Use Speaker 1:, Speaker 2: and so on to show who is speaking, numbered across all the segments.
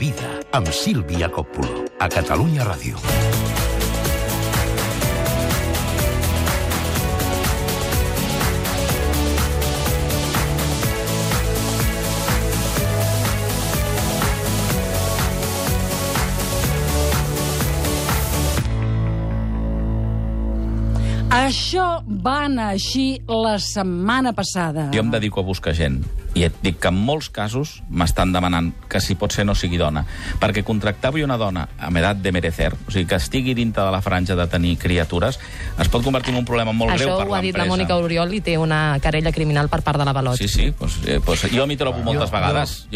Speaker 1: vida, amb Sílvia Coppulo, a Catalunya Ràdio.
Speaker 2: Això va anar així la setmana passada.
Speaker 3: Jo em dedico a buscar gent i et dic que en molts casos m'estan demanant que si pot ser no sigui dona, perquè contractar avui una dona amb edat de merecer, o sigui, que estigui dintre de la franja de tenir criatures, es pot convertir en un problema molt greu per l'empresa.
Speaker 4: Això ho ha dit la Mònica Oriol i té una querella criminal per part de l'Avalot.
Speaker 3: Sí, pues jo m'hi trobo moltes vegades.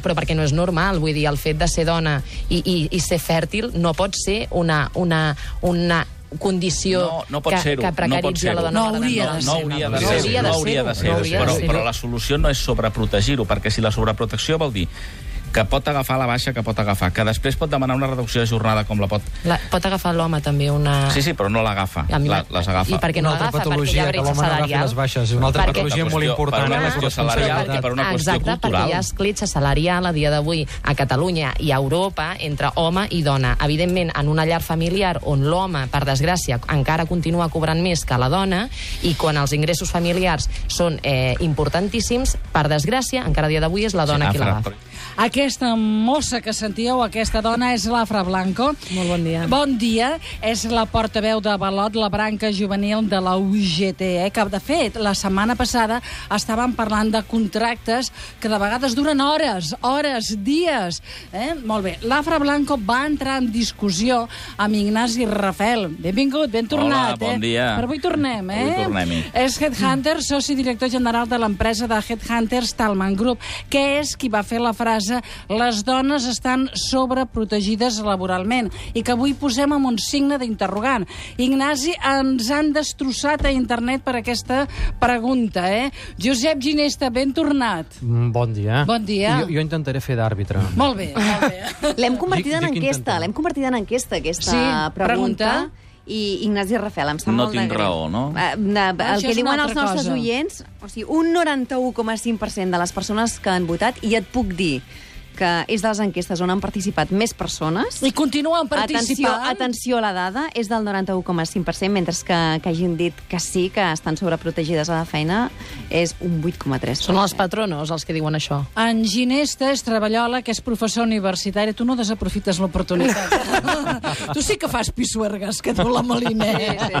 Speaker 4: Però perquè no és normal, vull dir, el fet de ser dona i ser fèrtil no pot ser una condició que precaritzi a la dona.
Speaker 3: No hauria de ser. Però la solució no és sobreprotegir-ho, perquè si la sobreprotecció vol dir que pot agafar la baixa que pot agafar, que després pot demanar una reducció de jornada com la pot...
Speaker 4: Pot agafar l'home també una...
Speaker 3: Sí, però no l'agafa, les agafa.
Speaker 4: I per què no l'agafa? Perquè hi ha bretxa salarial.
Speaker 5: És una altra patologia molt important.
Speaker 3: Per una qüestió salarial i per una qüestió cultural.
Speaker 4: Exacte, perquè hi ha escletxa salarial a dia d'avui a Catalunya i a Europa entre home i dona. Evidentment, en una llar familiar on l'home, per desgràcia, encara continua cobrant més que la dona i quan els ingressos familiars són importantíssims, per desgràcia, encara a dia d'avui és la dona qui l'agafa.
Speaker 2: Aquesta mossa que sentíeu, aquesta dona, és l'Afra Blanco.
Speaker 4: Molt bon dia.
Speaker 2: Bon dia. És la portaveu d'Avalot, la branca juvenil de la UGT, que, de fet, la setmana passada estàvem parlant de contractes que de vegades duren hores, dies. Molt bé. L'Afra Blanco va entrar en discussió amb Ignasi Rafel. Benvingut, ben tornat.
Speaker 3: Hola, bon dia.
Speaker 2: Però avui tornem,
Speaker 3: Avui tornem-hi.
Speaker 2: És Headhunter, soci director general de l'empresa de Headhunters Talman Group, que és qui va fer la frase les dones estan sobreprotegides laboralment i que avui posem amb un signe d'interrogant. Ignasi, ens han destrossat a internet per aquesta pregunta, Josep Ginesta, ben tornat.
Speaker 5: Bon dia.
Speaker 2: Bon dia.
Speaker 5: Jo intentaré fer d'àrbitre.
Speaker 2: Molt bé, molt bé.
Speaker 6: L'hem convertida en enquesta, aquesta pregunta. I Ignasi Rafel, em sap
Speaker 3: no
Speaker 6: molt de
Speaker 3: tinc
Speaker 6: greu.
Speaker 3: raó, no?
Speaker 6: El que diuen els nostres oients, o sigui, un 91,5% de les persones que han votat, i et puc dir que és de les enquestes on han participat més persones.
Speaker 2: I continuen participant.
Speaker 6: Atenció a la dada, és del 91,5%, mentre que hagin dit que sí, que estan sobreprotegides a la feina, és un 8,3%.
Speaker 4: Són els patronos els que diuen això.
Speaker 2: En Ginesta és treballola, que és professor universitari. Tu no desaprofites l'oportunitat. Tu sí que fas pisuergues, que tu la Molinet.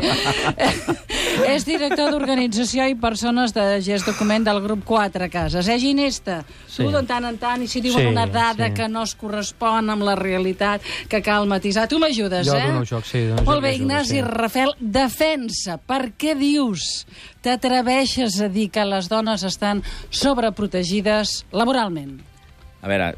Speaker 2: És director d'organització i persones de gest document del grup 4 Cases. Ginesta? Tu de tant en tant, i si diuen una dada que no es correspon amb la realitat, que cal matisar. Tu m'ajudes,
Speaker 5: Jo dono joc, sí.
Speaker 2: Molt bé, Ignasi Rafel, defensa. Per què dius? T'atreveixes a dir que les dones estan sobreprotegides laboralment?
Speaker 3: A veure,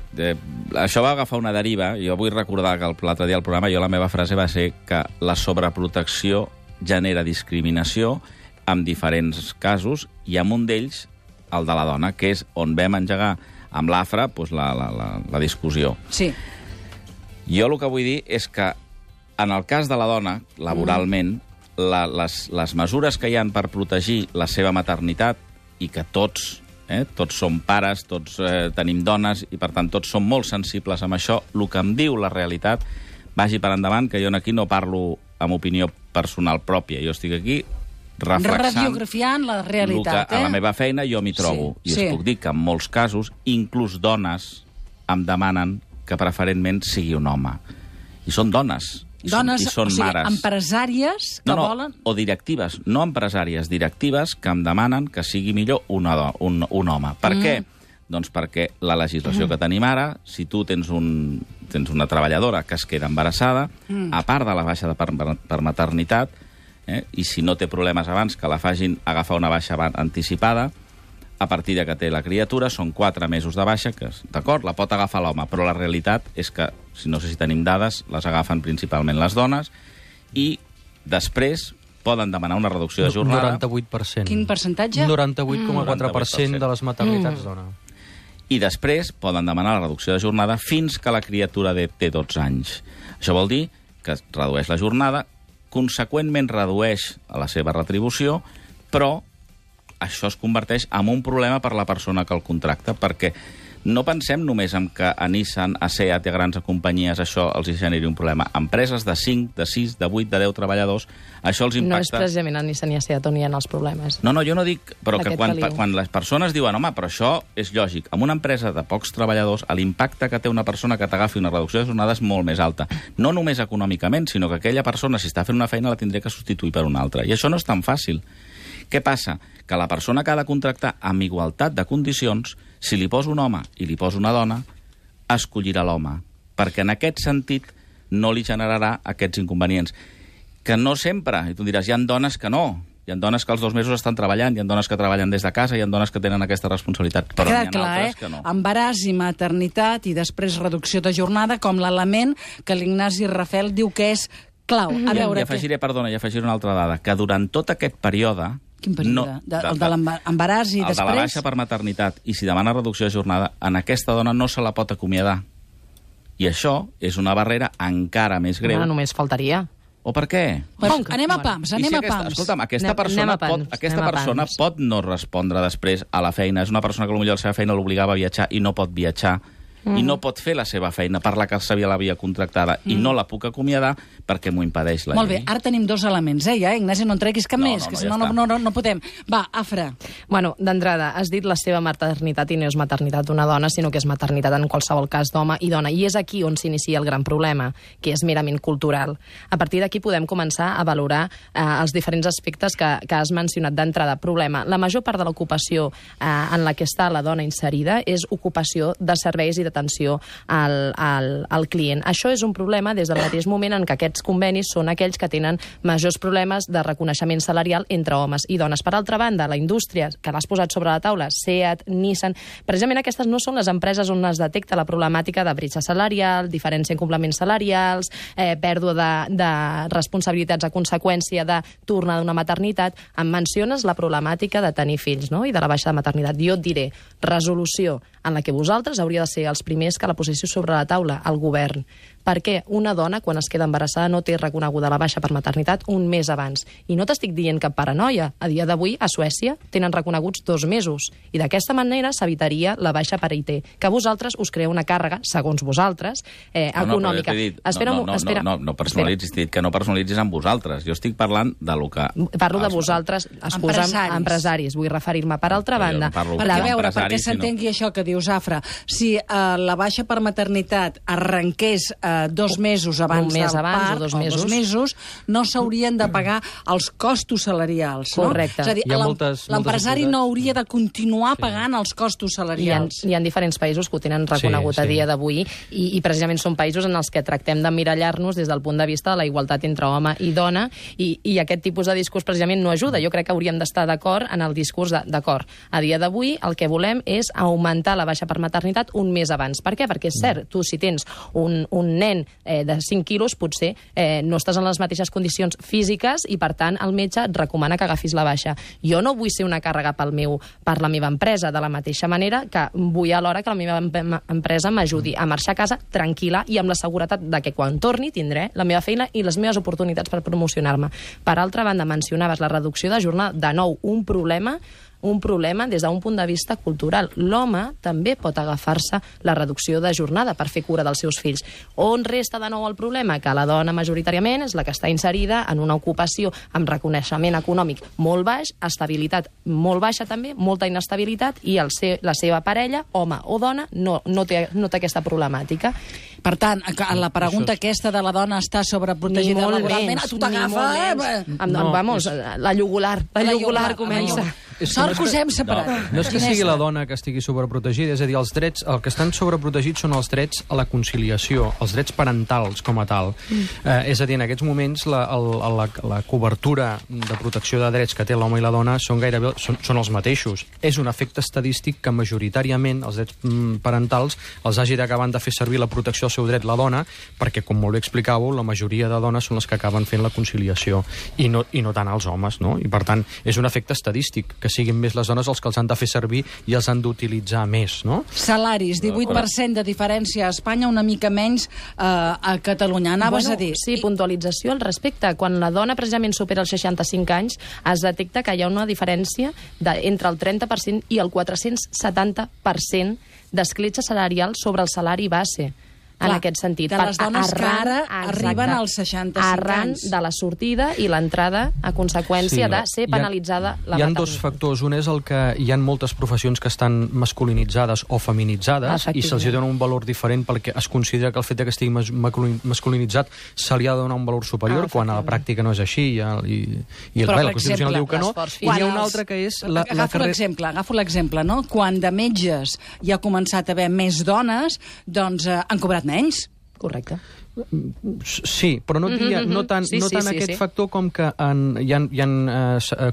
Speaker 3: això va agafar una deriva. Jo vull recordar que l'altre dia al programa la meva frase va ser que la sobreprotecció genera discriminació en diferents casos i en un d'ells, el de la dona, que és on vam engegar amb l'Afra la discussió.
Speaker 2: Sí.
Speaker 3: Jo el que vull dir és que en el cas de la dona, laboralment, les mesures que hi han per protegir la seva maternitat i que tots som pares, tots tenim dones i per tant tots som molt sensibles amb això, el que em diu la realitat, vagi per endavant, que jo aquí no parlo amb opinió personal pròpia, jo estic aquí
Speaker 2: radiografiant la realitat.
Speaker 3: A la meva feina jo m'hi trobo. I us puc dir que en molts casos, inclús dones em demanen que preferentment sigui un home. I són dones.
Speaker 2: Dones,
Speaker 3: i són mares.
Speaker 2: Empresàries que volen...
Speaker 3: O directives, no empresàries, directives que em demanen que sigui millor un home. Per què? Doncs perquè la legislació que tenim ara, si tu tens una treballadora que es queda embarassada, a part de la baixa per maternitat, i si no té problemes abans que la facin agafar una baixa anticipada, a partir de que té la criatura, són 4 mesos de baixa, que, d'acord, la pot agafar l'home, però la realitat és que, no sé si tenim dades, les agafen principalment les dones, i després poden demanar una reducció de jornada.
Speaker 5: 98%.
Speaker 2: Quin percentatge?
Speaker 5: 98,4% de les maternitats dona.
Speaker 3: I després poden demanar la reducció de jornada fins que la criatura té 12 anys. Això vol dir que es redueix la jornada, conseqüentment redueix la seva retribució, però això es converteix en un problema per la persona que el contracta, perquè no pensem només en que a Nissan, a SEAT i a grans companyies això els generi un problema. Empreses de 5, de 6, de 8, de 10 treballadors, això els impacta...
Speaker 4: No és precisament a Nissan i a SEAT on hi ha els problemes.
Speaker 3: No, jo no dic... Però que quan les persones diuen home, però això és lògic. En una empresa de pocs treballadors, l'impacte que té una persona que t'agafi una reducció de jornada és molt més alta. No només econòmicament, sinó que aquella persona, si està fent una feina, la tindré que substituir per una altra. I això no és tan fàcil. Què passa? Que la persona que ha de contractar amb igualtat de condicions, si li poso un home i li poso una dona, escollirà l'home, perquè en aquest sentit no li generarà aquests inconvenients. Que no sempre, i tu diràs, hi ha dones que no, hi ha dones que els 2 mesos estan treballant, hi ha dones que treballen des de casa, hi ha dones que tenen aquesta responsabilitat, però n'hi ha altres que no.
Speaker 2: Embaràs i maternitat i després reducció de jornada com l'element que l'Ignasi Rafel diu que és clau. A veure,
Speaker 3: I afegiré una altra dada, que durant tot aquest període...
Speaker 2: Quin període? El de l'embaràs i després?
Speaker 3: El de la baixa per maternitat, i si demana reducció de jornada, en aquesta dona no se la pot acomiadar. I això és una barrera encara més greu.
Speaker 4: No, només faltaria.
Speaker 3: O per què?
Speaker 2: Anem a pams.
Speaker 3: Escolta'm, aquesta persona pot no respondre després a la feina. És una persona que potser la seva feina l'obligava a viatjar i no pot viatjar. I no pot fer la seva feina per la que l'havia contractada i no la puc acomiadar perquè m'ho impedeix la llei.
Speaker 2: Molt bé, ara tenim 2 elements, ja, Ignasi, no en treguis cap més, que si no podem. Va, Afra.
Speaker 4: Bueno, d'entrada, has dit la seva maternitat i no és maternitat d'una dona, sinó que és maternitat en qualsevol cas d'home i dona. I és aquí on s'inicia el gran problema, que és merament cultural. A partir d'aquí podem començar a valorar els diferents aspectes que has mencionat d'entrada. Problema, la major part de l'ocupació en la que està la dona inserida és ocupació de serveis i d'atenció al client. Això és un problema des del mateix moment en què aquests convenis són aquells que tenen majors problemes de reconeixement salarial entre homes i dones. Per altra banda, la indústria que l'has posat sobre la taula, SEAT, Nissan, precisament aquestes no són les empreses on es detecta la problemàtica de bretxa salarial, diferència en complements salarials, pèrdua de responsabilitats a conseqüència de tornar d'una maternitat. Em menciones la problemàtica de tenir fills, no?, i de la baixa de maternitat. Jo et diré, resolució en la que vosaltres hauria de ser els primers que la posició sobre la taula, el govern. Perquè una dona, quan es queda embarassada, no té reconeguda la baixa per maternitat un mes abans. I no t'estic dient cap paranoia. A dia d'avui, a Suècia, tenen reconeguts 2 mesos. I d'aquesta manera s'evitaria la baixa per IT. Que vosaltres us creeu una càrrega, segons vosaltres, econòmica.
Speaker 3: No personalitzis, t'he dit que no personalitzis amb vosaltres. Jo estic parlant de lo que...
Speaker 4: Parlo de vosaltres, empresaris, vull referir-me. Per altra banda...
Speaker 2: Perquè s'entengui això que dius, Afra, si la baixa per maternitat arrenqués 2 mesos abans del part, o 2 mesos, no s'haurien de pagar els costos salarials. No?
Speaker 4: Correcte.
Speaker 2: És a dir, l'empresari no hauria de continuar pagant els costos salarials.
Speaker 4: Hi ha diferents països que ho tenen reconegut a dia d'avui i precisament són països en els que tractem d'emmirallar-nos des del punt de vista de la igualtat entre home i dona i aquest tipus de discurs precisament no ajuda. Jo crec que hauríem d'estar d'acord en el discurs d'acord. A dia d'avui el que volem és augmentar la baixa per maternitat un mes abans. Per què? Perquè és cert, tu si tens un nen de 5 quilos, potser no estàs en les mateixes condicions físiques i, per tant, el metge et recomana que agafis la baixa. Jo no vull ser una càrrega per la meva empresa, de la mateixa manera que vull alhora que la meva empresa m'ajudi a marxar a casa tranquil·la i amb la seguretat de que quan torni tindré la meva feina i les meves oportunitats per promocionar-me. Per altra banda, mencionaves la reducció de jornada, de nou, un problema des d'un punt de vista cultural. L'home també pot agafar-se la reducció de jornada per fer cura dels seus fills. On resta de nou el problema? Que la dona majoritàriament és la que està inserida en una ocupació amb reconeixement econòmic molt baix, estabilitat molt baixa també, molta inestabilitat, i la seva parella, home o dona, no té aquesta problemàtica.
Speaker 2: Per tant, la pregunta aquesta de la dona està sobreprotegida laboralment, a tu t'agafa...
Speaker 4: Vamos, la llogular comença.
Speaker 2: Sort que us hem separat.
Speaker 5: No és que sigui la dona que estigui sobreprotegida, és a dir, els drets, el que estan sobreprotegits són els drets a la conciliació, els drets parentals com a tal. És a dir, en aquests moments la cobertura de protecció de drets que té l'home i la dona són els mateixos. És un efecte estadístic que majoritàriament els drets parentals els hagi d'acabar de fer servir la protecció del seu dret la dona, perquè, com molt bé explicàveu, la majoria de dones són les que acaben fent la conciliació i no tant els homes, no? I, per tant, és un efecte estadístic que siguin més les dones els que els han de fer servir i els han d'utilitzar més, no?
Speaker 2: Salaris, 18% de diferència a Espanya, una mica menys a Catalunya. Anaves a dir...
Speaker 4: Sí, puntualització al respecte. Quan la dona precisament supera els 65 anys, es detecta que hi ha una diferència entre el 30% i el 470% d'escletxa salarial sobre el salari base. En aquest sentit.
Speaker 2: De les dones que ara arriben als 65
Speaker 4: arran
Speaker 2: anys.
Speaker 4: de la sortida i l'entrada a conseqüència de ser penalitzada la maternitat.
Speaker 5: Hi ha dos factors. Un és el que hi ha moltes professions que estan masculinitzades o feminitzades i se'ls dona un valor diferent perquè es considera que el fet que estigui masculinitzat se li ha de donar un valor superior, quan a la pràctica no és així i la Constitució diu que no. I hi ha una altra que és...
Speaker 2: Agafo l'exemple, no? Quan de metges hi ha començat a haver més dones, doncs han cobrat menys.
Speaker 4: Correcte.
Speaker 5: Sí, però no tant aquest factor com que hi ha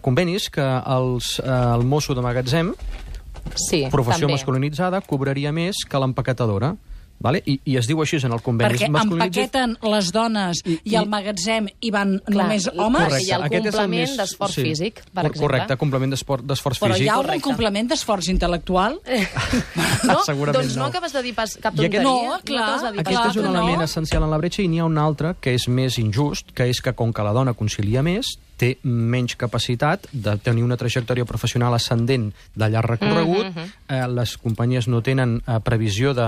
Speaker 5: convenis que el mosso de magatzem, professió masculinitzada, cobraria més que l'empacatadora. Vale? I es diu així en el conveni.
Speaker 2: Perquè empaqueten les dones i al magatzem hi van només homes?
Speaker 4: Correcte. Hi ha el complement d'esforç físic, per exemple.
Speaker 5: Correcte, complement d'esforç físic.
Speaker 2: Però hi ha algun complement d'esforç intel·lectual?
Speaker 4: No?
Speaker 5: Segurament
Speaker 4: doncs no acabes de dir pas cap tonteria.
Speaker 2: No, clar.
Speaker 5: Aquest és un element essencial en la bretxa i n'hi ha un altre que és més injust, que és que com que la dona concilia més, té menys capacitat de tenir una trajectòria professional ascendent de llarg recorregut, les companyies no tenen previsió de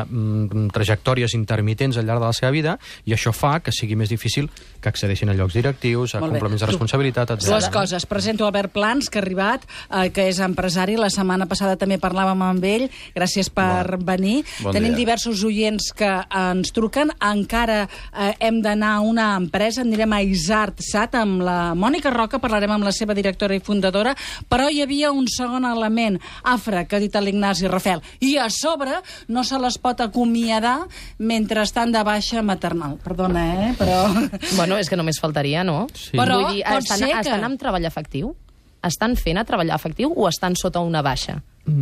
Speaker 5: trajectòries intermitents al llarg de la seva vida, i això fa que sigui més difícil que accedeixin a llocs directius, a complements de responsabilitat, etc.
Speaker 2: Dues coses. Presento Albert Plans, que ha arribat, que és empresari. La setmana passada també parlàvem amb ell. Gràcies per venir. Tenim diversos oients que ens truquen. Encara hem d'anar a una empresa, anirem a Isart Sat amb la Mònica Roca, parlarem amb la seva directora i fundadora, però hi havia un segon element, Afra, que ha dit l'Ignasi Rafel, i a sobre no se les pot acomiadar mentre estan de baixa maternal. Perdona, però...
Speaker 4: Bueno, és que només faltaria, no?
Speaker 5: Sí.
Speaker 2: Però
Speaker 4: vull dir, estan amb treball efectiu? Estan fent a treballar efectiu o estan sota una baixa?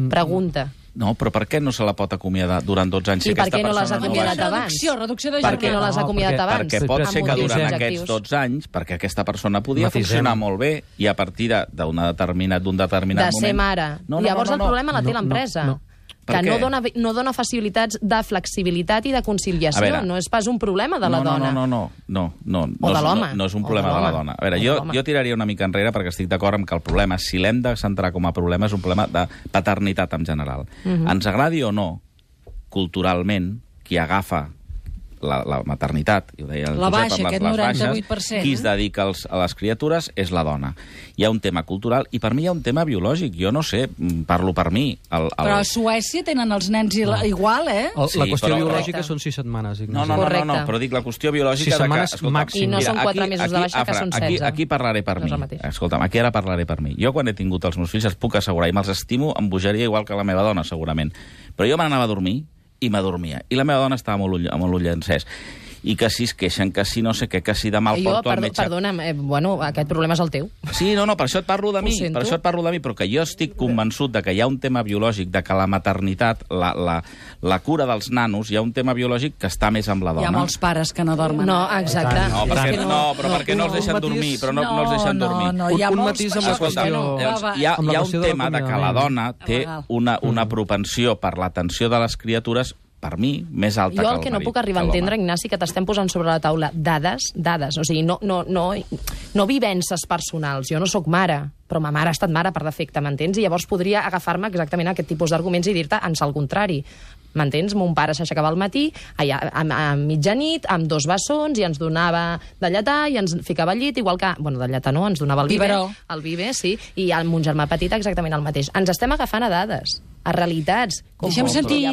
Speaker 4: Pregunta.
Speaker 3: No, però per què no se la pot acomiadar durant 12 anys?
Speaker 4: I per què no les ha acomiadat abans?
Speaker 2: Reducció de
Speaker 4: Per què no les ha acomiadat abans?
Speaker 3: Perquè pot ser que durant aquests 12 anys, perquè aquesta persona podia funcionar molt bé i a partir d'un determinat moment...
Speaker 4: De ser mare. Llavors el problema la té l'empresa. Que no dona facilitats de flexibilitat i de conciliació.
Speaker 3: Veure,
Speaker 4: no és pas un problema de la dona.
Speaker 3: No.
Speaker 4: O de l'home.
Speaker 3: No és un problema de la dona. A veure, jo tiraria una mica enrere perquè estic d'acord amb que el problema, si l'hem de centrar com a problema, és un problema de paternitat en general. Ens agradi o no, culturalment, qui agafa la maternitat, i ho deia el Josep, amb les baixes, qui es dedica a les criatures és la dona. Hi ha un tema cultural i per mi hi ha un tema biològic. Jo no sé, parlo per mi.
Speaker 2: Però a Suècia tenen els nens igual, eh?
Speaker 5: La qüestió biològica són 6 setmanes.
Speaker 3: No, però dic la qüestió biològica...
Speaker 5: 6 setmanes màxim.
Speaker 4: I no són 4 mesos de baixa, que són 16.
Speaker 3: Aquí parlaré per mi. Escolta'm, aquí ara parlaré per mi. Jo quan he tingut els meus fills els puc assegurar i me'ls estimo amb bogeria igual que la meva dona, segurament. Però jo me n'anava a dormir i m'adormia. I la meva dona estava amb l'ull encès. I que si es queixen, que si no sé què, que si demà el porto al metge...
Speaker 4: Perdona'm, aquest problema és el teu.
Speaker 3: Sí, no, per això et parlo de mi, però que jo estic convençut de que hi ha un tema biològic, de que la maternitat, la cura dels nanos, hi ha un tema biològic que està més amb la dona.
Speaker 2: Hi ha molts pares que no dormen.
Speaker 4: No, exacte.
Speaker 3: Però perquè no els deixen dormir,
Speaker 2: Un
Speaker 5: matís amb la qüestió...
Speaker 3: Hi ha un tema de que la dona té una propensió per l'atenció de les criatures, per mi, més alta que el marit.
Speaker 4: Jo el que no puc arribar a entendre, Ignasi, que t'estem posant sobre la taula dades, o sigui, no vivències personals. Jo no sóc mare, però ma mare ha estat mare per defecte, m'entens? I llavors podria agafar-me exactament aquest tipus d'arguments i dir-te ans al contrari. M'entens? Mon pare s'aixecava al matí, a mitjanit, amb 2 bessons, i ens donava de lletar, i ens ficava al llit, igual que... Bueno, de lletar no, ens donava el biber. El biber, sí, i amb mon germà petit exactament el mateix. Ens estem agafant a dades, a realitats.
Speaker 2: Deixem sentir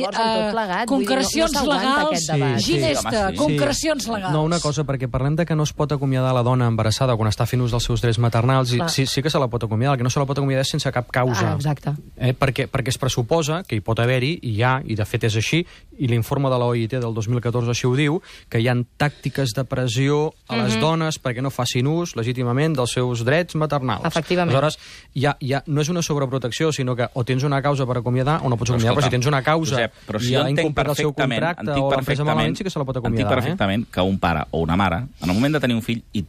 Speaker 2: concrecions legals. Ginesta, concrecions legals.
Speaker 5: No, una cosa, perquè parlem de que no es pot acomiadar la dona embarassada quan està fent ús dels seus drets maternals, i sí que se la pot acomiadar, el que no se la pot acomiadar és sense cap causa.
Speaker 4: Exacte.
Speaker 5: Perquè es pressuposa que hi pot haver-hi, i hi ha, i de fet és així, i l'informe de l'OIT del 2014 així ho diu, que hi ha tàctiques de pressió a les dones perquè no facin ús legítimament dels seus drets maternals.
Speaker 4: Efectivament.
Speaker 5: Aleshores, no és una sobreprotecció, sinó que o tens una causa per acomiadar o no pots acomiadar, però si tens una causa i ha incomplert el seu contracte o l'empresa malament, sí que se la pot acomiadar.
Speaker 3: Entenc perfectament que un pare o una mare, en el moment de tenir un fill, i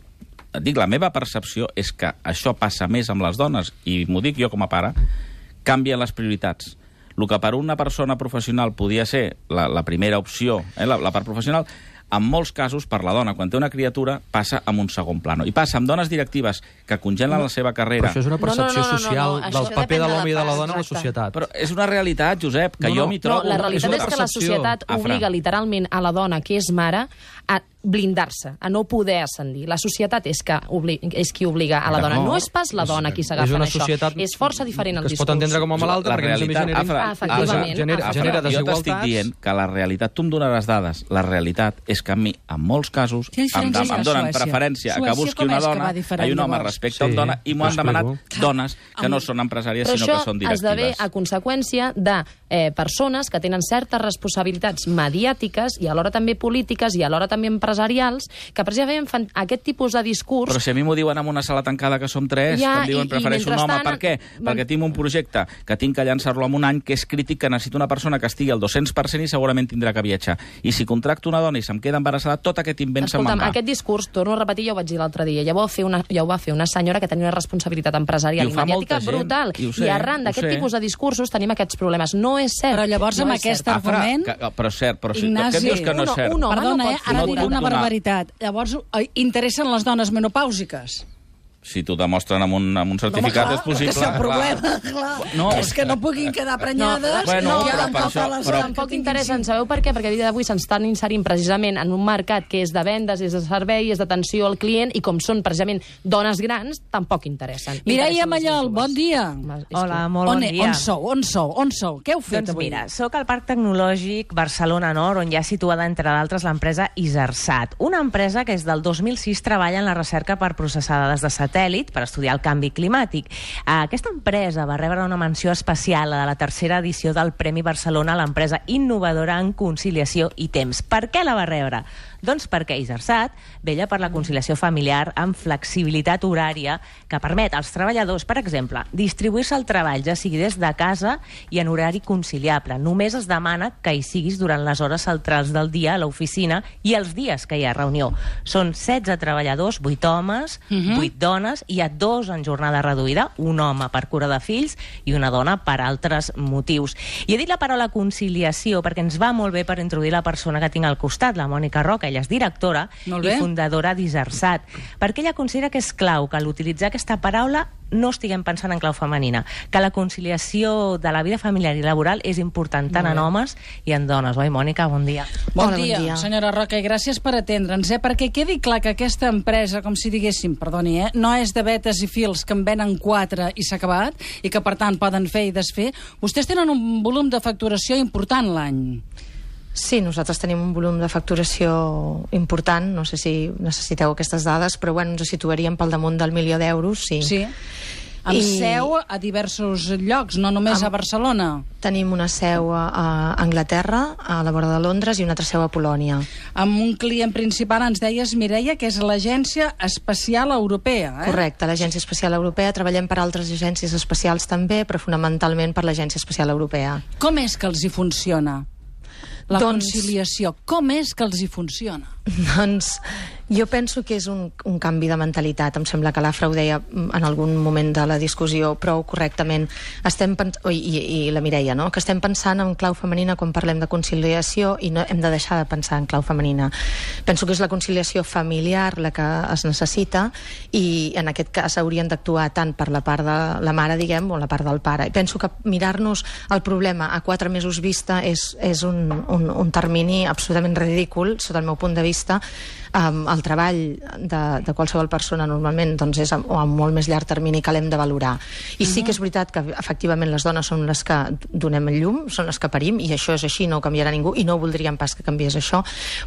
Speaker 3: et dic, la meva percepció és que això passa més amb les dones, i m'ho dic jo com a pare, canvien les prioritats. El que per una persona professional podia ser la primera opció, la part professional, en molts casos, per la dona, quan té una criatura, passa en un segon plano. I passa amb dones directives que congelen la seva carrera.
Speaker 5: Però això és una percepció social del paper de l'home i de la dona a la societat.
Speaker 3: Però és una realitat, Josep, que jo m'hi trobo.
Speaker 4: La realitat és que la societat obliga literalment a la dona, que és mare, a blindar-se, a no poder ascendir. La societat és qui obliga a la dona. No és pas la dona qui s'agafa en això. És força diferent el discurs.
Speaker 5: Que es pot entendre com a malalta, perquè a més genera desigualtats.
Speaker 3: Jo t'estic dient que la realitat, tu em donaràs dades, la realitat és que a mi, en molts casos, em donen preferència a que busqui una dona i un home respecte a una dona, i m'ho han demanat dones que no són empresàries, sinó que són directives.
Speaker 4: Però això esdevé a conseqüència de persones que tenen certes responsabilitats mediàtiques i alhora també polítiques i alhora també empresarials, que precisament fan aquest tipus de discurs...
Speaker 3: Però si a mi m'ho diuen en una sala tancada que som 3, que em diuen prefereixo un home, per què? Perquè tinc un projecte que tinc que llançar-lo en un any que és crític, que necessito una persona que estigui al 200% i segurament tindrà que viatjar. I si contracto una dona i se'm queda embarassada, tot aquest invent se'n va.
Speaker 4: Aquest discurs, torno a repetir, ja ho vaig dir l'altre dia, ja ho va fer una senyora que tenia una responsabilitat empresarial i mediàtica brutal. I arran d'aquest tipus de discursos tenim aquests problemes. No és cert.
Speaker 2: Però llavors amb aquest argument...
Speaker 3: Però cert, què em dius que no és cert?
Speaker 2: Perdona, ara diré una barbaritat. Llavors, interessen les dones menopàusiques?
Speaker 3: Si t'ho demostren amb un certificat, és possible.
Speaker 2: Que és el problema, clar. És que no puguin quedar prenyades.
Speaker 4: Tampoc interessen. Sabeu per què? Perquè a dia d'avui s'estan inserint precisament en un mercat que és de vendes, és de servei, és d'atenció al client, i com són precisament dones grans, tampoc interessen.
Speaker 2: Mireia Mallol, bon dia.
Speaker 7: Hola, molt bon dia.
Speaker 2: On sou? Què heu fet avui?
Speaker 7: Doncs mira, soc al Parc Tecnològic Barcelona Nord, on hi ha situada, entre d'altres, l'empresa Isersat, una empresa que des del 2006 treballa en la recerca per processar dades de satèl·lit per estudiar el canvi climàtic. Aquesta empresa va rebre una menció especial a la tercera edició del Premi Barcelona a l'empresa innovadora en conciliació i temps. Per què la va rebre? Doncs perquè Isersat vella per la conciliació familiar amb flexibilitat horària que permet als treballadors, per exemple, distribuir-se el treball, ja sigui des de casa i en horari conciliable. Només es demana que hi siguis durant les hores centrals del dia a l'oficina i els dies que hi ha reunió. Són 16 treballadors, 8 homes, 8 dones, i hi ha 2 en jornada reduïda, un home per cura de fills i una dona per altres motius. I he dit la paraula conciliació perquè ens va molt bé per introduir la persona que tinc al costat, la Mònica Roca. Ella és directora i fundadora d'Isersat, perquè ella considera que és clau que a l'utilitzar aquesta paraula no estiguem pensant en clau femenina, que la conciliació de la vida familiar i laboral és important tant en homes i en dones. Oi, Mònica? Bon dia.
Speaker 2: Bon dia, senyora Roca, i gràcies per atendre'ns, perquè quedi clar que aquesta empresa, com si diguéssim, perdoni, no és de vetes i fils que en venen 4 i s'ha acabat, i que per tant poden fer i desfer. Vostès tenen un volum de facturació important l'any.
Speaker 8: Sí, nosaltres tenim un volum de facturació important, no sé si necessiteu aquestes dades, però bueno, ens situaríem pel damunt del 1.000.000 d'euros, sí.
Speaker 2: Sí. Amb seu a diversos llocs, no només a Barcelona.
Speaker 8: Tenim una seu a Anglaterra, a la vora de Londres, i una altra seu a Polònia.
Speaker 2: Amb un client principal, ens deies, Mireia, que és l'Agència Espacial Europea.
Speaker 8: Correcte, l'Agència Espacial Europea. Treballem per altres agències espacials també, però fonamentalment per l'Agència Espacial Europea.
Speaker 2: Com és que els hi funciona la conciliació? Com és que els hi funciona?
Speaker 8: Doncs jo penso que és un canvi de mentalitat. Em sembla que l'Afra ho deia en algun moment de la discussió prou correctament. I la Mireia, no? Que estem pensant en clau femenina quan parlem de conciliació, i no hem de deixar de pensar en clau femenina. Penso que és la conciliació familiar la que es necessita, i en aquest cas haurien d'actuar tant per la part de la mare, diguem, o la part del pare. I penso que mirar-nos el problema a 4 mesos vista és un termini absolutament ridícul, sota el meu punt de vista. El treball de qualsevol persona normalment doncs és a molt més llarg termini que l'hem de valorar. I sí que és veritat que efectivament les dones són les que donem el llum, són les que parim, i això és així, no ho canviarà ningú, i no voldríem pas que canviés això,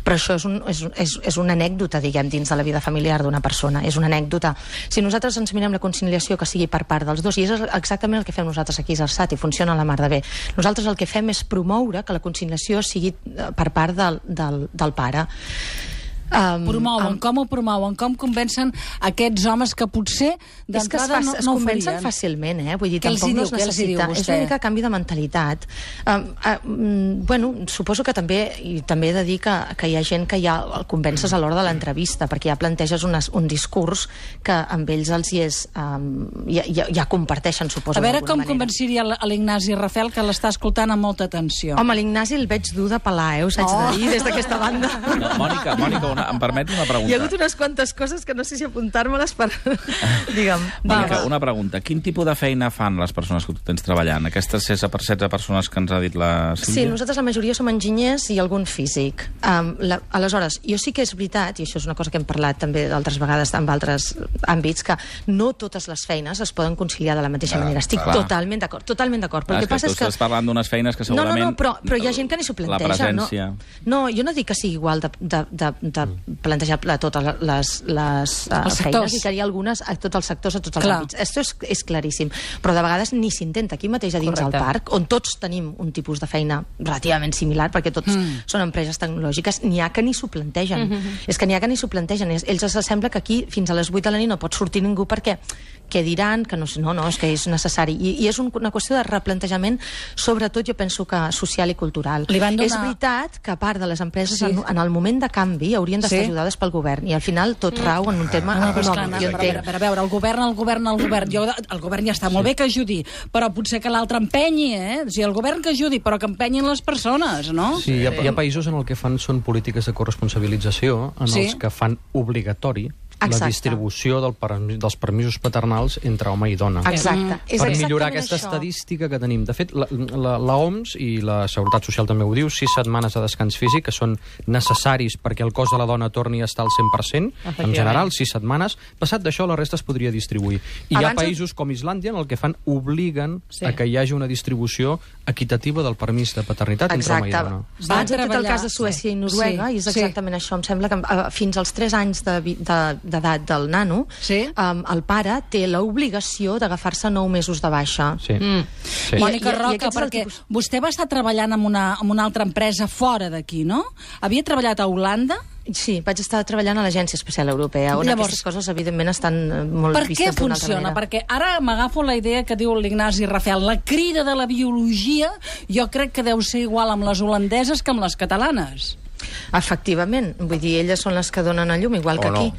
Speaker 8: però això és una anècdota, diguem, dins de la vida familiar d'una persona, és una anècdota. Si nosaltres ens mirem la conciliació que sigui per part dels dos, i és exactament el que fem nosaltres aquí a Isersat, i funciona a la mar de bé, nosaltres el que fem és promoure que la conciliació sigui per part del pare.
Speaker 2: Promouen, com ho promouen? Com convencen aquests homes que potser d'entrada no ho farien?
Speaker 8: Es convencen fàcilment, vull dir, tampoc no es necessita. És una mica canvi de mentalitat. Bueno, suposo que també he de dir que hi ha gent que ja el convences a l'hora de l'entrevista, perquè ja planteges un discurs que amb ells els hi és... ja comparteixen, suposo,
Speaker 2: a veure
Speaker 8: d'alguna manera.
Speaker 2: com convenciria l'Ignasi Rafel, que l'està escoltant amb molta atenció.
Speaker 8: Home, l'Ignasi el veig dur de pelar, us haig de dir, des d'aquesta banda.
Speaker 3: No, Mònica, em permets una pregunta?
Speaker 8: Hi ha hagut unes quantes coses que no sé si apuntar-me-les per... Digue'm.
Speaker 3: Mònica, una pregunta. Quin tipus de feina fan les persones que tu tens treballant? Aquestes 16 persones que ens ha dit la Sílvia?
Speaker 8: Sí, nosaltres la majoria som enginyers i algun físic. Aleshores, jo sí que és veritat, i això és una cosa que hem parlat també d'altres vegades en altres àmbits, que no totes les feines es poden conciliar de la mateixa manera. Estic totalment d'acord. Però el que passa és que...
Speaker 3: Tu estàs parlant d'unes feines que segurament...
Speaker 8: No, però hi ha gent que ni s'ho planteja.
Speaker 3: La presència...
Speaker 8: No, jo no dic que sigui igual de plantejar totes les feines, i que hi ha algunes a tots els sectors, a tots els àmbits. Esto és claríssim. Però de vegades ni s'intenta. Aquí mateix a dins del parc, on tots tenim un tipus de feina relativament similar, perquè tots són empreses tecnològiques, n'hi ha que ni s'ho plantegen. És que n'hi ha que ni s'ho plantegen. Ells els sembla que aquí fins a les 8 de la nit no pot sortir ningú perquè què diran, que no, és que és necessari. I és una qüestió de replantejament, sobretot jo penso que social i cultural. És veritat que a part de les empreses, en el moment de canvi, haurien d'estar ajudades pel govern, i al final tot rau en un tema econòmic.
Speaker 2: A veure, el govern. El govern ja està molt bé que ajudi, però potser que l'altre empenyi, O sigui, el govern que ajudi, però que empenyin les persones, no?
Speaker 5: Sí, hi ha països en el que fan són polítiques de corresponsabilització, en els que fan obligatori la distribució dels permisos paternals entre home i dona.
Speaker 8: Exacte.
Speaker 5: Per millorar aquesta estadística que tenim. De fet, la OMS i la Seguretat Social també ho diu, 6 setmanes de descans físic, que són necessaris perquè el cos de la dona torni a estar al 100%, en general, 6 setmanes. Passat d'això, la resta es podria distribuir. I hi ha països com Islàndia en el que fan obliguen a que hi hagi una distribució equitativa del permís de paternitat entre home i dona.
Speaker 8: Abans he fet el cas de Suècia i Noruega, i és exactament això. Em sembla que fins als 3 anys d'edat del nano, el pare té l'obligació d'agafar-se 9 mesos de baixa.
Speaker 2: Mònica Roca, perquè vostè va estar treballant en una altra empresa fora d'aquí, no? Havia treballat a Holanda?
Speaker 8: Sí, vaig estar treballant a l'Agència Espacial Europea, on aquestes coses, evidentment, estan molt vistes d'una altra manera.
Speaker 2: Per què funciona? Perquè ara m'agafo la idea que diu l'Ignasi Rafel, la crida de la biologia, jo crec que deu ser igual amb les holandeses que amb les catalanes.
Speaker 8: Efectivament, vull dir, elles són les que donen a llum, igual que aquí.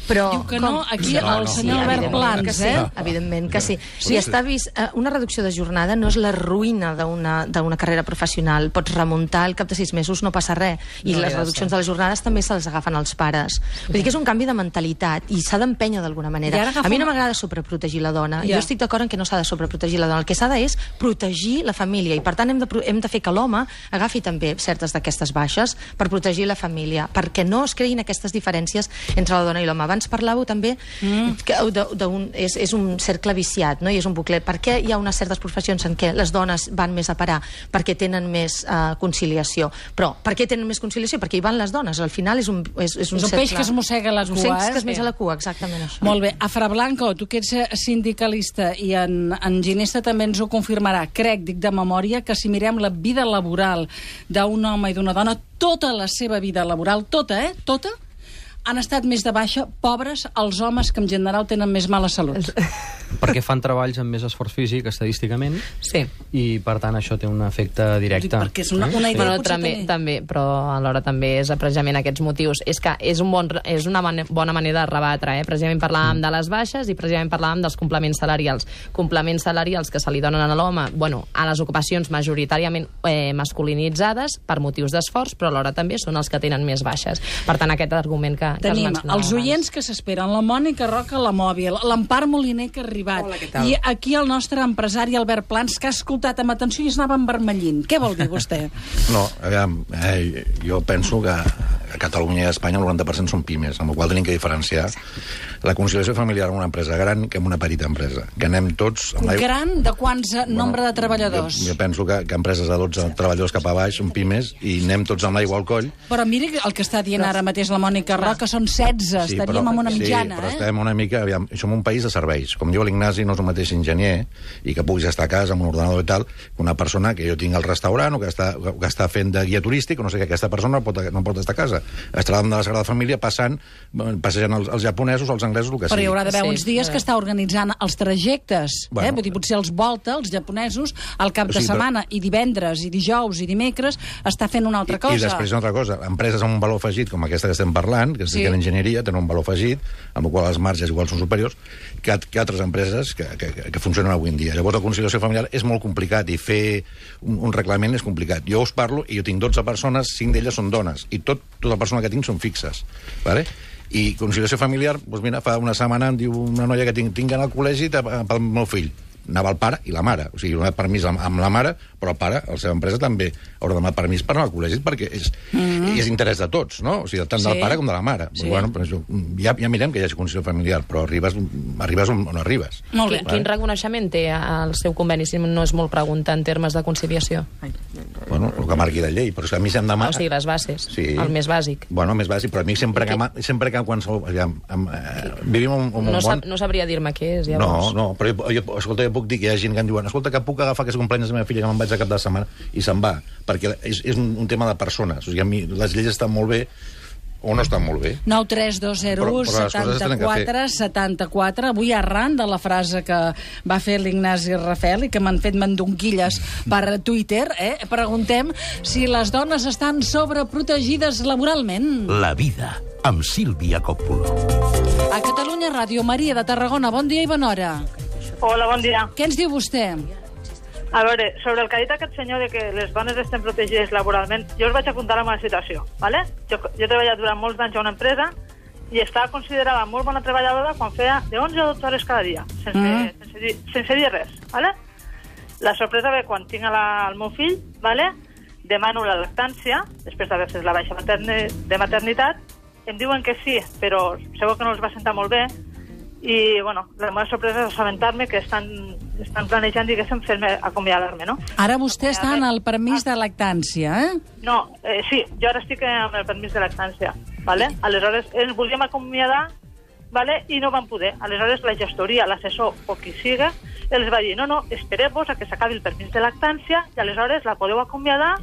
Speaker 8: Però,
Speaker 2: diu que no, aquí el senyor Albert Plans,
Speaker 8: evidentment que sí. Si està vist, una reducció de jornada no és la ruïna d'una carrera professional. Pots remuntar al cap de 6 mesos, no passa res. I les reduccions de les jornades també se les agafen els pares. Vull dir que és un canvi de mentalitat i s'ha d'empènyer d'alguna manera. A mi no m'agrada sobreprotegir la dona. Jo estic d'acord en que no s'ha de sobreprotegir la dona. El que s'ha és protegir la família, i per tant hem de fer que l'home agafi també certes d'aquestes baixes per protegir la família, perquè no es creïn aquestes diferències entre la dona i l'home. Abans parlàveu també que és un cercle viciat, no? I és un bucle. Per què hi ha unes certes professions en què les dones van més a parar? Perquè tenen més conciliació. Però per què tenen més conciliació? Perquè hi van les dones. Al final és un cercle.
Speaker 2: Peix que es mossega la cua.
Speaker 8: Un peix que es mossega la cua, exactament això.
Speaker 2: Molt bé. Afra Blanco, tu que ets sindicalista i en Ginesta també ens ho confirmarà. Crec, dic de memòria, que si mirem la vida laboral d'un home i d'una dona, tota la seva vida laboral, tota, tota, han estat més de baixa, pobres, els homes que en general tenen més mala salut.
Speaker 5: Perquè fan treballs amb més esforç físic, estadísticament, i per tant això té un efecte directe.
Speaker 2: Perquè és una idea
Speaker 4: també, però alhora també és precisament aquests motius. És que és una bona manera de rebatre, Precisament parlàvem de les baixes i precisament parlàvem dels complements salarials. Complements salarials que se li donen a l'home, a les ocupacions majoritàriament masculinitzades per motius d'esforç, però alhora també són els que tenen més baixes. Per tant, aquest argument que
Speaker 2: tenim els oients que s'esperen, la Mònica Roca, la Mòbil, l'Empar Moliner, que ha arribat.
Speaker 9: Hola, què tal?
Speaker 2: I aquí el nostre empresari Albert Plans, que ha escoltat amb atenció i es anava envermellint. Què vol dir vostè?
Speaker 9: No, jo penso que a Catalunya i a Espanya el 90% són pimes, amb la qual tenim que diferenciar la conciliació familiar en una empresa gran que en una petita empresa. Que anem tots...
Speaker 2: Gran de quants nombre de treballadors?
Speaker 9: Jo penso que empreses de 12 treballadors cap a baix són pimes i anem tots amb l'aigua al coll.
Speaker 2: Però miri el que està dient ara mateix la Mònica Roca, que són 16, estaríem en una mitjana.
Speaker 9: Sí, però estem una mica... Som un país de serveis. Com diu l'Ignasi, no és el mateix enginyer i que puguis estar a casa amb un ordenador i tal, que una persona que jo tinc al restaurant o que està fent de guia turístic, o no sé què, aquesta persona no pot estar a casa. Estrada de la Sagrada Família, passejant els japonesos, els anglesos, el que sigui.
Speaker 2: Però hi haurà d'haver uns dies que està organitzant els trajectes.
Speaker 9: Bueno.
Speaker 2: Vull dir, potser els volta, els japonesos, al cap de setmana, i divendres, i dijous, i dimecres, està fent una altra cosa.
Speaker 9: I després una altra cosa, empreses amb un valor afegit, com aquesta que estem parlant, que es dediquen a l'enginyeria, tenen un valor afegit, amb el qual les marges igual són superiors, que altres empreses que funcionen avui en dia. Llavors la conciliació familiar és molt complicat i fer un reglament és complicat. Jo us parlo i jo tinc 12 persones, 5 d'elles són dones, i tota persona que tinc són fixes. Vale? I conciliació familiar, doncs mira, fa una setmana em diu una noia que tinc al col·legi pel meu fill. Anava el pare i la mare. O sigui, donat permís amb la mare, però el pare, la seva empresa, també haurà donat permís per anar al col·legi, perquè és interès de tots, no? O sigui, tant del pare com de la mare.
Speaker 2: Sí.
Speaker 9: Bueno, ja mirem que hi hagi conciliació familiar, però arribes on arribes.
Speaker 4: Molt bé. Quin reconeixement té el seu conveni, si no és molt preguntar en termes de conciliació?
Speaker 9: Bueno, el que marqui de llei, però és que a mi se'm demana...
Speaker 4: O sigui, les bases, el més bàsic.
Speaker 9: Bueno, el més bàsic, però a mi sempre que qualsevol... Vivim un món...
Speaker 4: No sabria dir-me què és, llavors.
Speaker 9: No, però escolta, puc dir que hi ha gent que em diuen escolta, que puc agafar aquest cumpleaños de la meva filla que me'n vaig a cap de setmana i se'n va, perquè és un tema de persones. O sigui, a mi les lleis estan molt bé o no estan molt bé.
Speaker 2: 932017474. Avui, arran de la frase que va fer l'Ignasi Rafel i que m'han fet mandonguilles per Twitter, preguntem si les dones estan sobreprotegides laboralment.
Speaker 1: La vida, amb Sílvia Coppulo.
Speaker 2: A Catalunya Ràdio, Maria de Tarragona, bon dia i bona hora.
Speaker 10: Hola, bon dia.
Speaker 2: Què ens diu vostè?
Speaker 10: A veure, sobre el que ha dit aquest senyor de que les dones estem protegides laboralment, jo us vaig apuntar la meva situació, ¿vale? Jo he treballat durant molts anys a una empresa i estava considerada molt bona treballadora quan feia de 11 a 12 hores cada dia, sense dir res, ¿vale? La sorpresa ve quan tinc el meu fill, ¿vale? Demano la lactància, després d'haver fet la baixa de maternitat, em diuen que sí, però segur que no els va sentar molt bé. I, bueno, la meva sorpresa és assabentar-me que estan planejant, diguéssim, fer-me acomiadar-me, no?
Speaker 2: Ara vostè està en el permís de lactància,
Speaker 10: No, sí, jo ara estic amb el permís de lactància, ¿vale? Aleshores, ens volíem acomiadar, ¿vale? I no vam poder. Aleshores, la gestoria, l'assessor o qui siga, els va dir, no, espereu-vos a que s'acabi el permís de lactància i aleshores la podeu acomiadar,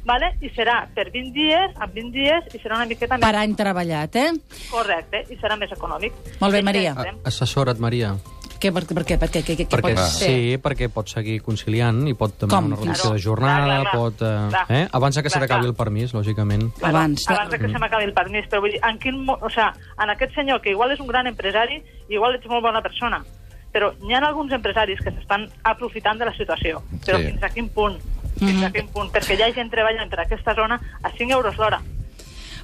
Speaker 10: ¿vale? I serà per 20 dies, amb 20 dies, i serà una miqueta més...
Speaker 2: Per any treballat,
Speaker 10: Correcte, i serà més econòmic.
Speaker 2: Molt bé, Maria.
Speaker 5: Assessora't, Maria.
Speaker 2: Per què?
Speaker 5: Sí, perquè pot seguir conciliant i pot també una reducció de jornada, pot... Abans que se t'acabi el permís, lògicament.
Speaker 10: Abans que se m'acabi el permís, però vull dir, en aquest senyor, que igual és un gran empresari, igual ets molt bona persona, però hi ha alguns empresaris que s'estan aprofitant de la situació. Però fins a quin punt? Perquè hi ha gent treballant per aquesta zona a 5 euros l'hora.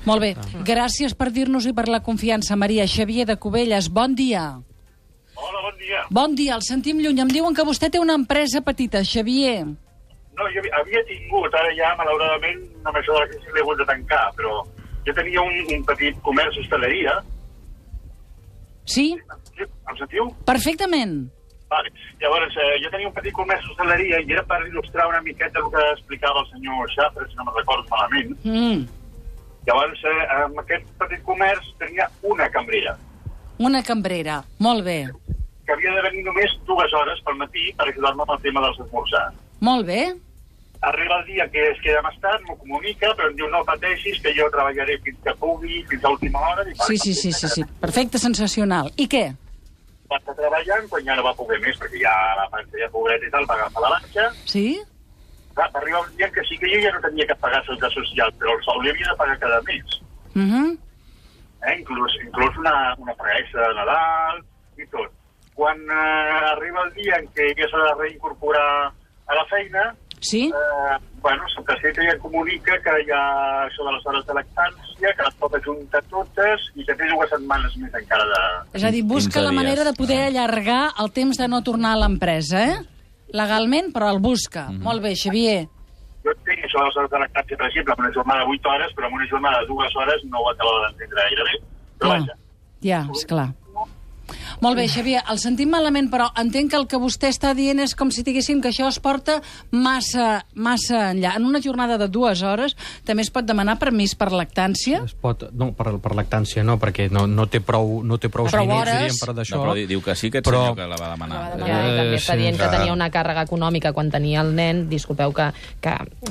Speaker 2: Molt bé, gràcies per dir-nos i per la confiança, Maria. Xavier de Cubelles, bon dia.
Speaker 11: Hola, bon dia.
Speaker 2: Bon dia, el sentim lluny. Em diuen que vostè té una empresa petita, Xavier.
Speaker 11: No, jo havia tingut, ara ja, malauradament, amb això de la crisi l'he hagut de tancar, però jo tenia un petit comerç d'hostaleria.
Speaker 2: Sí?
Speaker 11: Em sentiu?
Speaker 2: Perfectament.
Speaker 11: Vale. Llavors, jo tenia un petit comerç d'hostaleria i era per il·lustrar una miqueta el que explicava el senyor Xafra, si no me'n recordo malament. Llavors, amb aquest petit comerç tenia una cambrera.
Speaker 2: Una cambrera, molt bé.
Speaker 11: Que havia de venir només 2 hores pel matí per ajudar-me amb el tema dels esmorzars.
Speaker 2: Molt bé.
Speaker 11: Arriba el dia que es queda més tard, m'ho comunica, però em diu no pateixis, que jo treballaré fins que pugui, fins a última hora.
Speaker 2: Sí. Perfecte, sensacional. I què?
Speaker 11: Va estar treballant, quan ja no va poder més, perquè ja la panxa ja pobret i tal, va agafar la banxa.
Speaker 2: Sí?
Speaker 11: Va arribar un dia que sí que jo ja no tenia que pagar seguretat social, però el sou li havia de pagar cada mes. Inclús una paguesa de Nadal i tot. Quan arriba el dia en què ja s'ha de reincorporar a la feina, Santa Ceta ja comunica que hi ha això de les hores de lactància, que les pot ajuntar totes i que té 2 setmanes més encara de...
Speaker 2: És a dir, busca la manera de poder allargar el temps de no tornar a l'empresa, legalment, però el busca. Molt bé, Xavier.
Speaker 11: Jo tinc això de les hores de lactància, per exemple, amb una jornada de 8 hores, però amb una jornada de 2 hores no ho acabo d'entendre gaire bé. Però vaja.
Speaker 2: Ja, esclar. Molt bé, Xavier, el sentim malament, però entenc que el que vostè està dient és com si diguéssim que això es porta massa enllà. En una jornada de 2 hores també es pot demanar permís per lactància?
Speaker 5: No, per lactància no, perquè no té prou diners, diríem, per d'això.
Speaker 3: No, però diu que sí, aquest senyor que la va demanar.
Speaker 4: També està dient que tenia una càrrega econòmica quan tenia el nen. Disculpeu que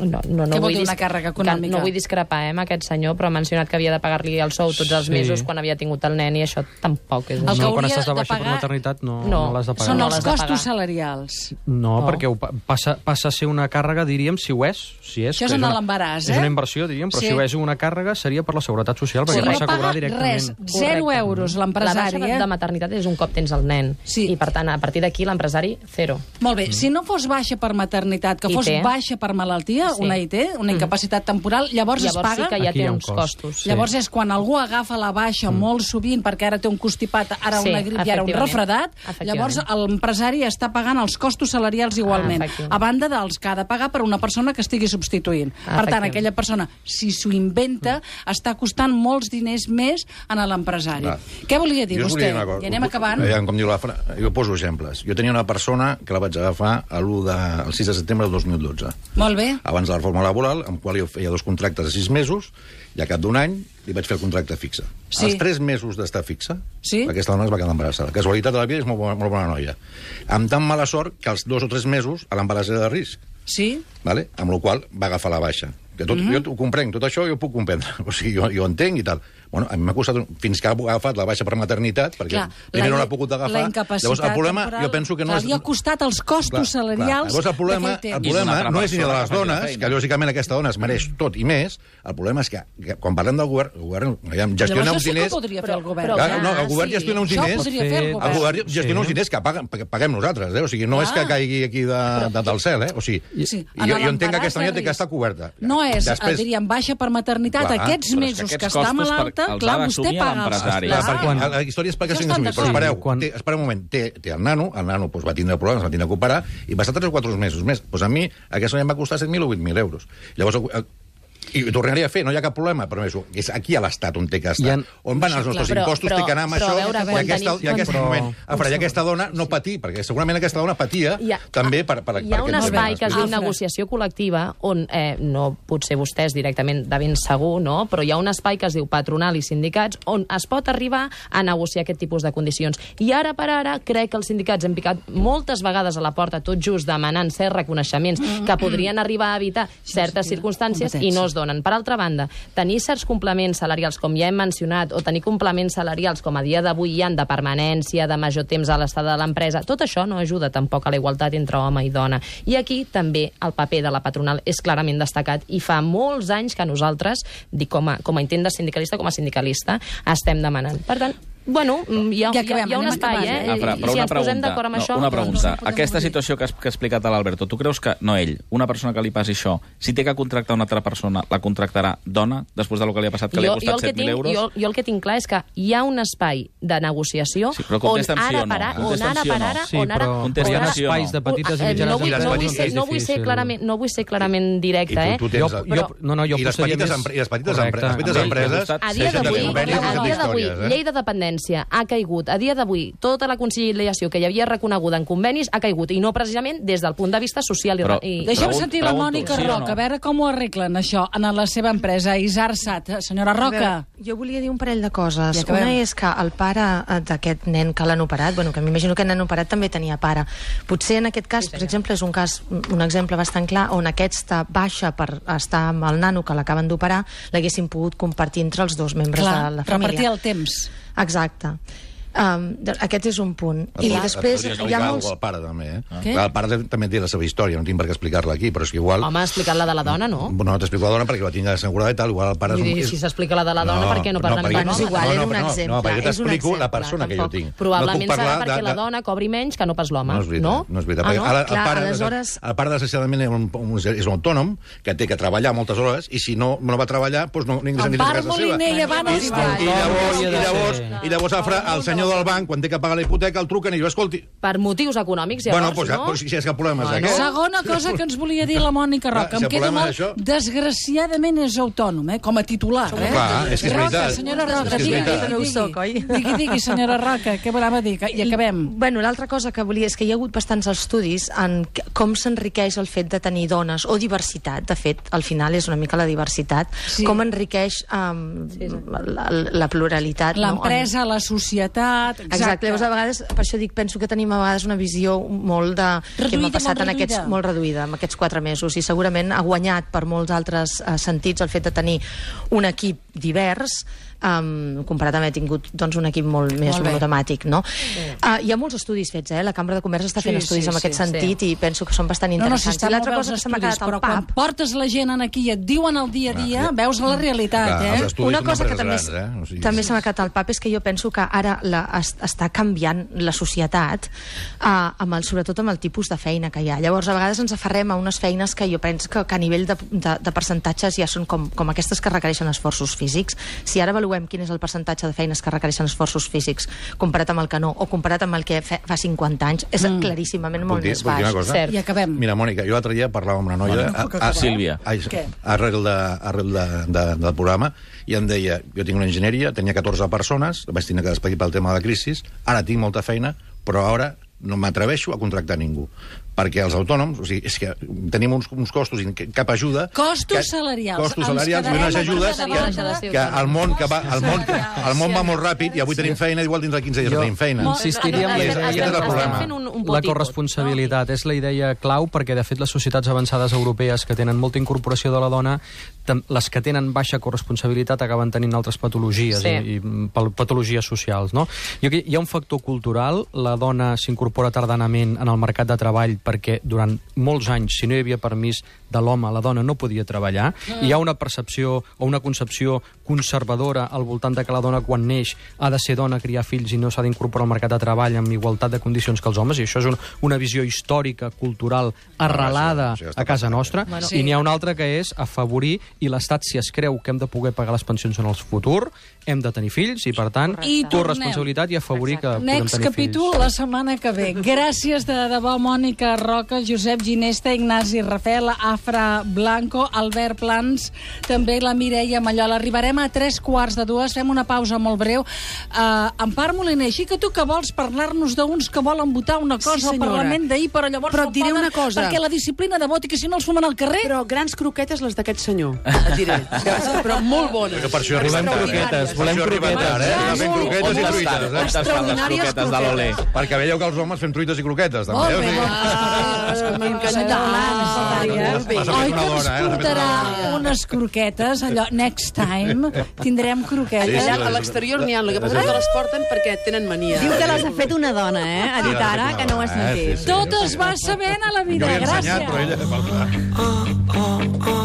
Speaker 4: no
Speaker 2: vol dir una càrrega econòmica?
Speaker 4: No vull discrepar amb aquest senyor, però ha mencionat que havia de pagar-li el sou tots els mesos quan havia tingut el nen, i això tampoc és...
Speaker 5: Quan estàs de baixa per maternitat no l'has de pagar.
Speaker 2: Són els costos salarials.
Speaker 5: No, perquè passa a ser una càrrega, diríem, si ho és.
Speaker 2: Això és en l'embaràs,
Speaker 5: És una inversió, diríem, però si ho és una càrrega seria per la Seguretat Social, perquè passa a cobrar directament.
Speaker 2: Res, 0 euros l'empresari.
Speaker 4: La baixa de maternitat és un cop tens el nen. I, per tant, a partir d'aquí, l'empresari, 0.
Speaker 2: Molt bé. Si no fos baixa per maternitat, que fos baixa per malaltia, una IT, una incapacitat temporal, llavors es paga?
Speaker 4: Llavors sí que ja té uns costos.
Speaker 2: Llavors és quan algú agafa la baixa molt sovint, perquè ara té un constipat, ara una grip i ara un refredat, llavors l'empresari està pagant els costos salarials igualment, a banda dels que ha de pagar per una persona que estigui substituint. Per tant, aquella persona, si s'ho inventa, està costant molts diners més a l'empresari. Què volia dir vostè? I anem acabant.
Speaker 9: Com diu la frase, jo poso exemples. Jo tenia una persona que la vaig agafar el 6 de setembre del 2012.
Speaker 2: Molt bé.
Speaker 9: Abans de la reforma laboral, amb qual jo feia 2 contractes de 6 mesos, i a cap d'un any li vaig fer el contracte fixe. Els 3 mesos d'estar fixe, aquesta dona es va quedar embarassada. La casualitat de la vida és molt bona noia. Amb tan mala sort que els 2 o 3 mesos l'embaràs era de risc.
Speaker 2: Sí.
Speaker 9: Amb la qual va agafar la baixa. Jo ho comprenc, tot això jo ho puc comprendre. O sigui, jo entenc i tal. Bueno, a mi m'ha costat, fins que ha agafat la baixa per maternitat, perquè primer no l'ha pogut agafar. Llavors, el problema, jo penso que no és...
Speaker 2: Li ha costat els costos salarials.
Speaker 9: Llavors, el problema no és ni de les dones, que lògicament aquesta dona es mereix tot i més. El problema és que quan parlem del govern, el govern gestiona uns diners...
Speaker 2: Llavors, això sí que podria fer el govern.
Speaker 9: No, el govern gestiona uns diners...
Speaker 2: Això podria fer el govern.
Speaker 9: El govern gestiona uns diners que paguem nosaltres, o sigui, no és que caigui aquí del cel, O sigui, jo entenc que aquesta noia té que estar coberta.
Speaker 2: No és, diríem, baixa per maternitat. Aquests mesos que està malalta, clar, vostè paga els...
Speaker 9: La història és perquè s'ha assumit. Però espereu un moment. Té el nano va tindre problemes, va tindre que operar, i va estar 3 o 4 mesos més. Doncs a mi aquesta noia em va costar 7.000 o 8.000 euros. Llavors... I ho tornaria a fer, no hi ha cap problema, però és aquí a l'Estat on té que estar. On van els nostres impostos, té que anar amb això, i aquesta dona no patir, perquè segurament aquesta dona patia també per...
Speaker 4: Hi ha un espai que es diu negociació col·lectiva, on no potser vostès directament de ben segur, no? Però hi ha un espai que es diu patronal i sindicats, on es pot arribar a negociar aquest tipus de condicions. I ara per ara crec que els sindicats hem picat moltes vegades a la porta, tot just demanant certs reconeixements que podrien arribar a evitar certes circumstàncies i no es donen. Per altra banda, tenir certs complements salarials, com ja hem mencionat, o tenir complements salarials com a dia d'avui hi ha de permanència, de major temps a l'estada de l'empresa, tot això no ajuda tampoc a la igualtat entre home i dona. I aquí també el paper de la patronal és clarament destacat i fa molts anys que nosaltres, dic com a intent de sindicalista, com a sindicalista, estem demanant. Per tant, bueno, hi ha un espai,
Speaker 3: Però
Speaker 4: si ens posem d'acord amb això...
Speaker 3: Una pregunta. Aquesta situació que ha explicat l'Alberto, tu creus que, no ell, una persona que li passi això, si té que contractar una altra persona, la contractarà dona, després del que li ha passat, que li ha costat 7.000 euros?
Speaker 4: Jo el que tinc clar és que hi ha un espai de negociació on ara per ara...
Speaker 5: Hi ha espais de petites i mitjanes empreses.
Speaker 4: No vull ser clarament directe,
Speaker 9: I les petites empreses...
Speaker 4: A dia d'avui, llei de dependència ha caigut. A dia d'avui, tota la conciliació que hi havia reconeguda en convenis ha caigut, i no precisament des del punt de vista social.
Speaker 2: Deixem sentir la Mònica Roca, a veure com ho arreglen, això, en la seva empresa, Isarsat. Senyora Roca.
Speaker 8: Jo volia dir un parell de coses. Una és que el pare d'aquest nen que l'han operat, que m'imagino que el nen operat també tenia pare. Potser en aquest cas, per exemple, és un exemple bastant clar on aquesta baixa per estar amb el nano que l'acaben d'operar l'haguessin pogut compartir entre els 2 membres de la família.
Speaker 2: Repartir el temps.
Speaker 8: Exacte. Aquest és un punt. I després hi ha molts...
Speaker 9: El pare també, El pare també té la seva història, no tinc per què explicar-la aquí, però és que igual...
Speaker 4: Home, ha explicat la de la dona, no?
Speaker 9: No t'explico la dona perquè la tinc assegurada i tal, igual el pare...
Speaker 4: Si s'explica la de la dona, per què no parlem de
Speaker 8: és igual, era un exemple.
Speaker 9: No, perquè t'explico la persona que jo tinc.
Speaker 4: Probablement serà perquè la dona cobri menys que no pas l'home, no?
Speaker 9: No és veritat. El pare, desgraciadament, és un autònom que té que treballar moltes hores i si no va treballar, doncs no ingressa ni a casa seva. I llavors el senyor l'ordinador del banc, quan té que pagar la hipoteca, el truquen i diu, escolti...
Speaker 4: Per motius econòmics, llavors,
Speaker 9: bueno, si és que el problema és aquest.
Speaker 2: Segona cosa que ens volia dir la Mònica Roca. Em queda molt... Desgraciadament és autònom, com a titular.
Speaker 9: Clar, és que és veritat.
Speaker 2: Senyora Roca, digui, senyora Roca, què volava dir? I acabem.
Speaker 8: Bueno, l'altra cosa que volia és que hi ha hagut bastants estudis en com s'enriqueix el fet de tenir dones, o diversitat, de fet, al final és una mica la diversitat, com enriqueix la pluralitat.
Speaker 2: L'empresa, la societat...
Speaker 8: Exacte, llavors a vegades, per això dic, penso que tenim a vegades una visió molt de... que m'ha passat en aquests... molt reduïda, en aquests 4 mesos, i segurament ha guanyat per molts altres sentits el fet de tenir un equip divers, comparat amb haver tingut un equip molt més monotemàtic, no? Hi ha molts estudis fets, la Cambra de Comerç està fent estudis en aquest sentit i penso que són bastant interessants. I l'altra cosa que se m'ha quedat al pap...
Speaker 2: Quan portes la gent aquí i et diuen el dia a dia, veus la realitat,
Speaker 8: Una cosa que també se m'ha quedat al pap és que jo penso que ara està canviant la societat, sobretot amb el tipus de feina que hi ha. Llavors, a vegades ens aferrem a unes feines que jo penso que a nivell de percentatges ja són com aquestes que requereixen esforços físics. Si ara avaluem quin és el percentatge de feines que requereixen esforços físics comparat amb el que no, o comparat amb el que fa 50 anys, és claríssimament molt més baix.
Speaker 2: I acabem.
Speaker 9: Mira, Mònica, jo l'altre dia parlava amb una noia...
Speaker 3: Sílvia.
Speaker 9: Arrel del programa, i em deia, jo tinc una enginyeria, tenia 14 persones, vaig tenir que despedir pel tema de la crisi, ara tinc molta feina, però ara no m'atreveixo a contractar ningú. Perquè els autònoms, o sigui, és que tenim uns costos i cap ajuda...
Speaker 2: Costos salarials.
Speaker 9: Costos salarials i unes ajudes que el món va molt ràpid i avui tenim feina, igual dins de 15 dies tenim feina.
Speaker 5: Insistiria en la corresponsabilitat. És la idea clau perquè, de fet, les societats avançades europees que tenen molta incorporació de la dona, les que tenen baixa corresponsabilitat acaben tenint altres patologies i patologies socials, no? Hi ha un factor cultural, la dona s'incorpora tardanament en el mercat de treball perquè durant molts anys, si no hi havia permís de l'home, la dona no podia treballar. Hi ha una percepció o una concepció conservadora al voltant de que la dona, quan neix, ha de ser dona, criar fills i no s'ha d'incorporar al mercat de treball amb igualtat de condicions que els homes, i això és una visió històrica, cultural, arrelada a casa nostra. I n'hi ha una altra que és afavorir, i l'Estat, si es creu que hem de poder pagar les pensions en el futur, hem de tenir fills, i per tant, corresponsabilitat i afavorir que podem tenir fills.
Speaker 2: Next capítol la setmana que ve. Gràcies de debò, Mònica Roca, Josep Ginesta, Ignasi Rafel, Afra Blanco, Albert Plans, també la Mireia Mallola. Arribarem a 3:45, fem una pausa molt breu. Empar Moliner, així que tu que vols parlar-nos d'uns que volen votar una cosa al Parlament d'ahir, però llavors
Speaker 12: no poden, una cosa.
Speaker 2: Perquè la disciplina de vot i que si no els fumen al carrer...
Speaker 12: Però grans croquetes les d'aquest senyor, et diré. Però molt bones.
Speaker 9: Per això arribem croquetes, volem croquetes, fem croquetes i truites.
Speaker 12: Extraordinàries croquetes.
Speaker 9: Perquè veieu que els homes fem truites i croquetes, també.
Speaker 2: Oi, que ens portarà unes croquetes, allò, next time, tindrem croquetes.
Speaker 12: A l'exterior n'hi ha, el que passa que les porten perquè tenen mania.
Speaker 6: Diu que les ha fet una dona, ha dit ara que no ho has sentit.
Speaker 2: Tot es va sabent a la vida, gràcies.
Speaker 9: Jo li he ensenyat, però ella...